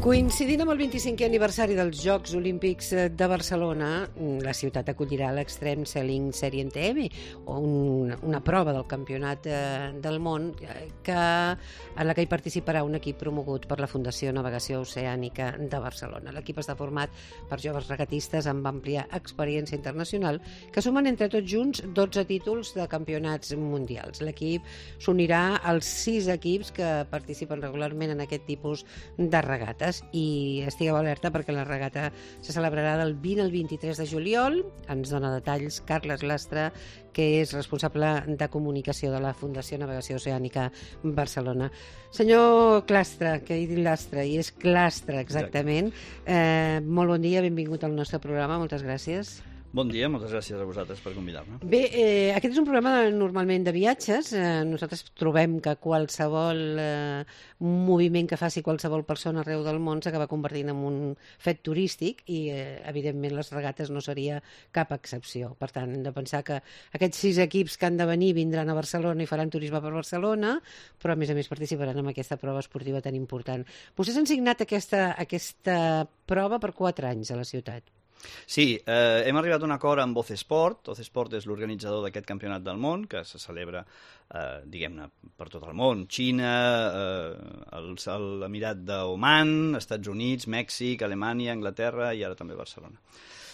Coincidint amb el 25è aniversari dels Jocs Olímpics de Barcelona, la ciutat acollirà l'Extreme Sailing Serie TM, una prova del campionat del món en la que hi participarà un equip promogut per la Fundació Navegació Oceànica de Barcelona. L'equip està format per joves regatistes amb àmplia experiència internacional que sumen entre tots junts 12 títols de campionats mundials. L'equip s'unirà als 6 equips que participen regularment en aquest tipus de regates. I estigueu alerta perquè la regata se celebrarà del 20 al 23 de juliol. Ens dona detalls Carles Lastra, que és responsable de comunicació de la Fundació Navegació Oceànica Barcelona. Senyor Clastra, que he dit Lastra, i és Clastra exactament. Molt bon dia, benvingut al nostre programa, moltes gràcies. Bon dia, moltes gràcies a vosaltres per convidar-me. Bé, aquest és un programa normalment de viatges. Nosaltres trobem que qualsevol moviment que faci qualsevol persona arreu del món s'acaba convertint en un fet turístic i, evidentment, les regates no seria cap excepció. Per tant, hem de pensar que aquests 6 equips que han de venir vindran a Barcelona i faran turisme per Barcelona, però, a més participaran en aquesta prova esportiva tan important. Vostès han signat aquesta prova per 4 anys a la ciutat. Sí, hem arribat a un acord amb Oce Sport. Oce Sport és l'organitzador d'aquest campionat del món, que se celebra, diguem-ne, per tot el món. Xina, l'Emirat d'Oman, Estats Units, Mèxic, Alemanya, Anglaterra i ara també Barcelona.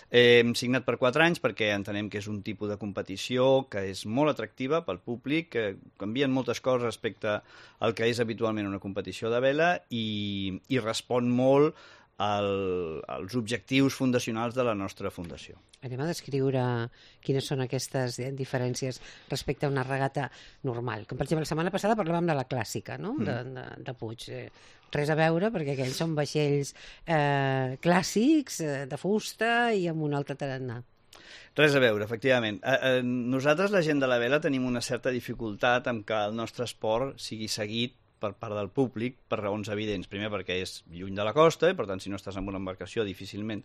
Hem signat per 4 anys perquè entenem que és un tipus de competició que és molt atractiva pel públic, que canvien moltes coses respecte al que és habitualment una competició de vela i respon molt als objectius fundacionals de la nostra fundació. Anem a descriure quines són aquestes diferències respecte a una regata normal. Com per exemple, la setmana passada parlàvem de la clàssica, no? De Puig. Res a veure, perquè aquells són vaixells clàssics, de fusta i amb un altre tarannà. Res a veure, efectivament. Nosaltres, la gent de la vela, tenim una certa dificultat amb que el nostre esport sigui seguit per part del públic per raons evidents. Primer, perquè és lluny de la costa i, per tant, si no estàs en una embarcació, difícilment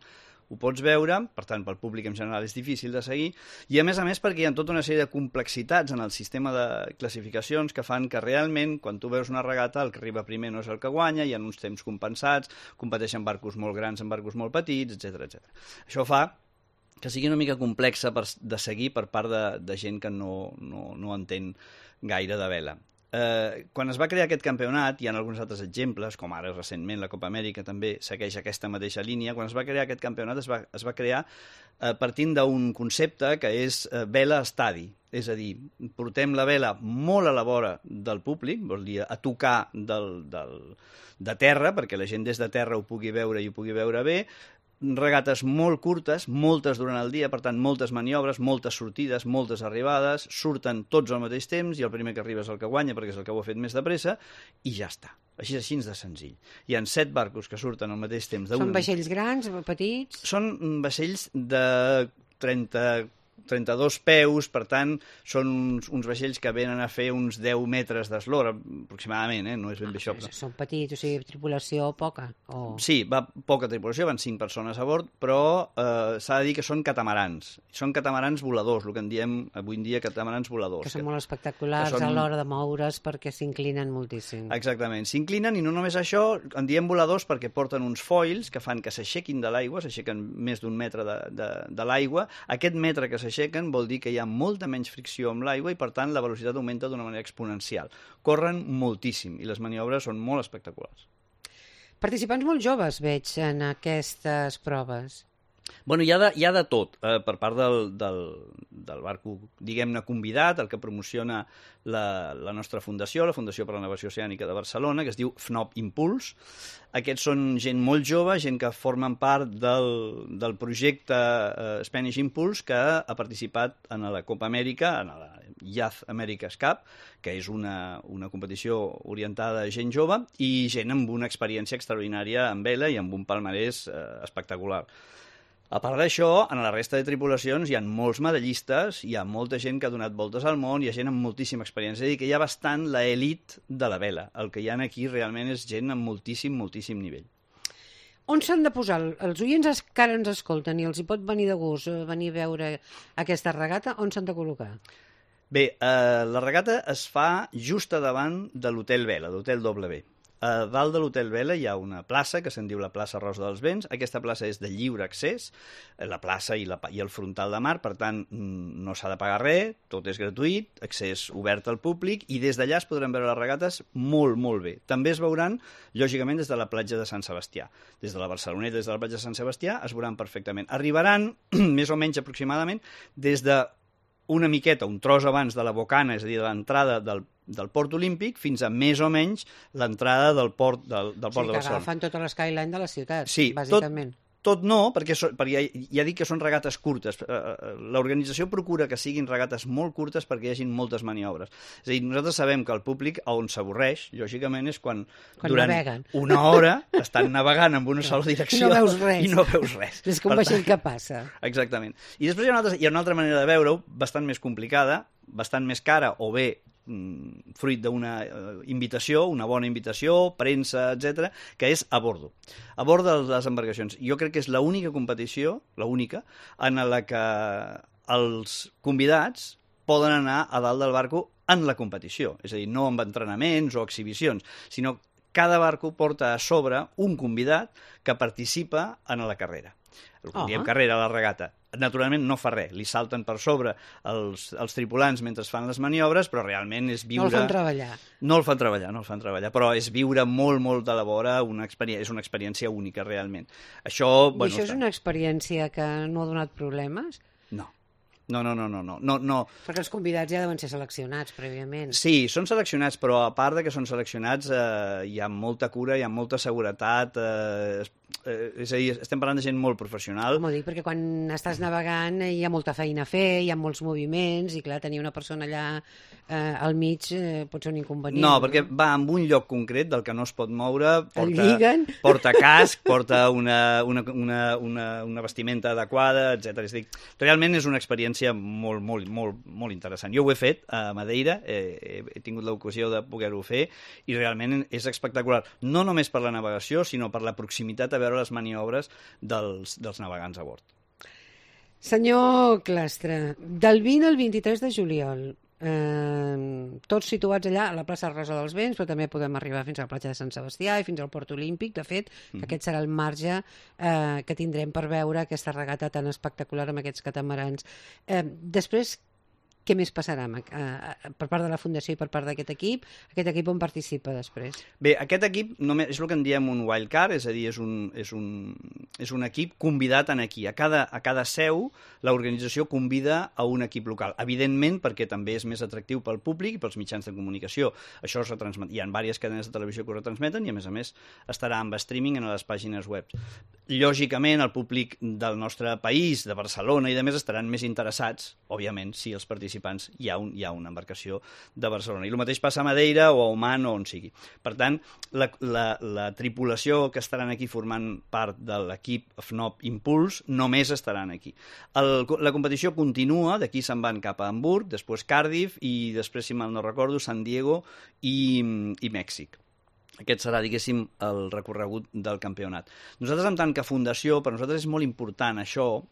ho pots veure. Per tant, pel públic en general és difícil de seguir. I, a més, perquè hi ha tota una sèrie de complexitats en el sistema de classificacions que fan que realment, quan tu veus una regata, el que arriba primer no és el que guanya, hi ha uns temps compensats, competeixen barcos molt grans amb barcos molt petits, etc. Això fa que sigui una mica complexa de seguir per part de gent que no entén gaire de vela. Quan es va crear aquest campionat, hi ha alguns altres exemples, com ara recentment la Copa Amèrica també segueix aquesta mateixa línia. Quan es va crear aquest campionat es va crear partint d'un concepte que és vela estadi, és a dir, portem la vela molt a la vora del públic, vol dir a tocar de terra, perquè la gent des de terra ho pugui veure i ho pugui veure bé, regates molt curtes, moltes durant el dia, per tant, moltes maniobres, moltes sortides, moltes arribades, surten tots al mateix temps i el primer que arriba és el que guanya perquè és el que ho ha fet més de pressa i ja està. Així de senzill. Hi ha 7 barcos que surten al mateix temps. Són vaixells grans, petits? Són vaixells de 32 peus, per tant, són uns vaixells que venen a fer uns 10 metres d'eslora, aproximadament, no és ben bé això. Són petits, o sigui, tripulació poca? Sí, va poca tripulació, van 5 persones a bord, però s'ha de dir que són catamarans. Són catamarans voladors, el que en diem avui en dia catamarans voladors. Que són molt espectaculars a l'hora de moure's perquè s'inclinen moltíssim. Exactament, s'inclinen i no només això, en diem voladors perquè porten uns foils que fan que s'aixequin de l'aigua, s'aixequen més d'1 metre de l'aigua. Aquest metre que s'aixequen vol dir que hi ha molta menys fricció amb l'aigua i, per tant, la velocitat augmenta d'una manera exponencial. Corren moltíssim i les maniobres són molt espectaculars. Participants molt joves veig en aquestes proves. Bueno, hi ha de tot per part del barco, diguem-ne, convidat, el que promociona la nostra fundació, la Fundació per la Navegació Oceànica de Barcelona, que es diu FNOP Impuls. Aquests són gent molt jove, gent que formen part del projecte Spanish Impulse, que ha participat en la Copa Amèrica, en la Youth America's Cup, que és una competició orientada a gent jove i gent amb una experiència extraordinària en vela i amb un palmarès espectacular. A part d'això, en la resta de tripulacions hi ha molts medallistes, hi ha molta gent que ha donat voltes al món, hi ha gent amb moltíssima experiència, és a dir, que hi ha bastant l'elit de la vela. El que hi ha aquí realment és gent amb moltíssim nivell. On s'han de posar? Els oients que ara ens escolten i els hi pot venir de gust venir a veure aquesta regata, on s'han de col·locar? Bé, la regata es fa just a davant de l'Hotel Vela, d'Hotel W. A dalt de l'Hotel Vela hi ha una plaça que se'n diu la plaça Rosa dels Vents. Aquesta plaça és de lliure accés, la plaça i el frontal de mar, per tant no s'ha de pagar res, tot és gratuït, accés obert al públic, i des d'allà es podran veure les regates molt, molt bé. També es veuran, lògicament, des de la platja de Sant Sebastià. Des de la Barceloneta, des de la platja de Sant Sebastià, es veuran perfectament. Arribaran, més o menys aproximadament, des de una miqueta, un tros abans de la bocana, és a dir, de l'entrada del Port Olímpic, fins a més o menys l'entrada del port de Barcelona. Sí, que agafen tota l'skyline de la ciutat, sí, bàsicament. Tot no, perquè ja dic que són regates curtes. L'organització procura que siguin regates molt curtes perquè hi hagi moltes maniobres. És a dir, nosaltres sabem que el públic on s'avorreix, lògicament, és quan durant naveguen. Una hora estan navegant en una sola direcció i no veus res. És com vaixell que passa. Exactament. I després hi ha una altra manera de veure-ho, bastant més complicada, bastant més cara, o bé fruit d'una invitació, una bona invitació, premsa, etc, que és a bordo. A bord de les embarcacions. Jo crec que és l'única competició, l'única, en la que els convidats poden anar a dalt del barco en la competició. És a dir, no amb entrenaments o exhibicions, sinó cada barco porta a sobre un convidat que participa en la carrera. Diem carrera a la regata. Naturalment no fa res, li salten per sobre els tripulants mentre fan les maniobres, però realment és viure... No el fan treballar. No el fan treballar, però és viure molt, molt de la vora, és una experiència única, realment. Això és una experiència que no ha donat problemes? No. No. Perquè els convidats ja deuen ser seleccionats prèviament. Sí, són seleccionats, però a part de que són seleccionats hi ha molta cura, hi ha molta seguretat, és a dir, estem parlant de gent molt professional. Com ho dic, perquè quan estàs navegant hi ha molta feina a fer, hi ha molts moviments, i clar, tenir una persona allà al mig pot ser un inconvenient. No, perquè va en un lloc concret del que no es pot moure, porta casc, porta una vestimenta adequada, etc. És a dir, realment és una experiència molt, molt, molt, molt interessant. Jo ho he fet a Madeira, he tingut l'ocasió de poder-ho fer, i realment és espectacular. No només per la navegació, sinó per la proximitat a veure les maniobres dels navegants a bord. Senyor Clastre, del 20 al 23 de juliol, tots situats allà a la plaça Rosa dels Vents, però també podem arribar fins a la platja de Sant Sebastià i fins al Port Olímpic. De fet, aquest serà el marge que tindrem per veure aquesta regata tan espectacular amb aquests catamarans. Després, què més passarà per part de la Fundació i per part d'aquest equip? Aquest equip on participa després? Bé, aquest equip és el que en diem un wild card, és a dir, és un equip convidat aquí. A cada seu l'organització convida a un equip local. Evidentment, perquè també és més atractiu pel públic i pels mitjans de comunicació. Això es retransmet. Hi ha diverses cadenes de televisió que ho retransmeten i, a més, estarà amb streaming en les pàgines web. Lògicament, el públic del nostre país, de Barcelona i de més, estaran més interessats, òbviament, si els participants hi ha una embarcació de Barcelona. I el mateix passa a Madeira o a Oman o on sigui. Per tant, la tripulació que estaran aquí formant part de l'equip FNOP Impuls només estaran aquí. La competició continua, d'aquí se'n van cap a Hamburg, després Cardiff i després, si mal no recordo, San Diego i Mèxic. Aquest serà, diguéssim, el recorregut del campionat. Nosaltres, en tant que fundació, per nosaltres és molt important això,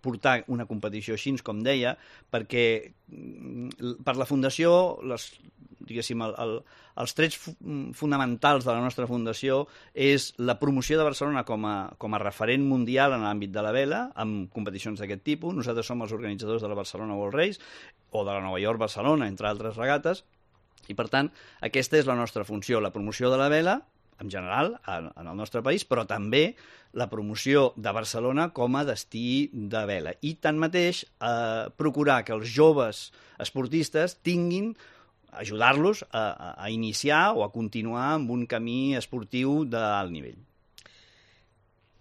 portar una competició així, com deia, perquè per la fundació, diguéssim, els trets fonamentals de la nostra fundació és la promoció de Barcelona com a referent mundial en l'àmbit de la vela, amb competicions d'aquest tipus. Nosaltres som els organitzadors de la Barcelona World Race o de la Nova York Barcelona, entre altres regates, i per tant, aquesta és la nostra funció, la promoció de la vela, en general, en el nostre país, però també la promoció de Barcelona com a destí de vela. I, tanmateix, procurar que els joves esportistes tinguin, ajudar-los a iniciar o a continuar amb un camí esportiu d'alt nivell.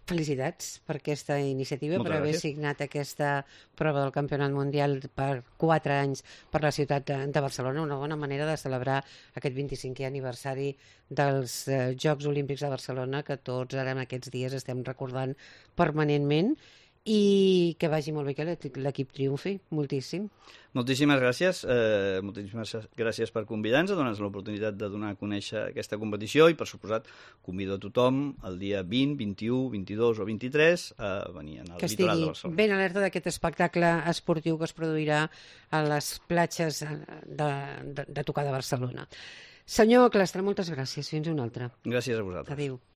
Felicitats per aquesta iniciativa, per haver signat aquesta prova del Campionat Mundial per 4 anys per la ciutat de Barcelona. Una bona manera de celebrar aquest 25è aniversari dels Jocs Olímpics de Barcelona, que tots ara en aquests dies estem recordant permanentment, i que vagi molt bé que l'equip triomfi, moltíssim. Moltíssimes gràcies per convidar-nos, a donar-nos l'oportunitat de donar a conèixer aquesta competició i, per suposat, convido a tothom el dia 20, 21, 22 o 23 a venir al litoral de Barcelona. Que estigui ben alerta d'aquest espectacle esportiu que es produirà a les platges de tocar de Barcelona. Senyor Clastre, moltes gràcies. Fins una altra. Gràcies a vosaltres. Adéu.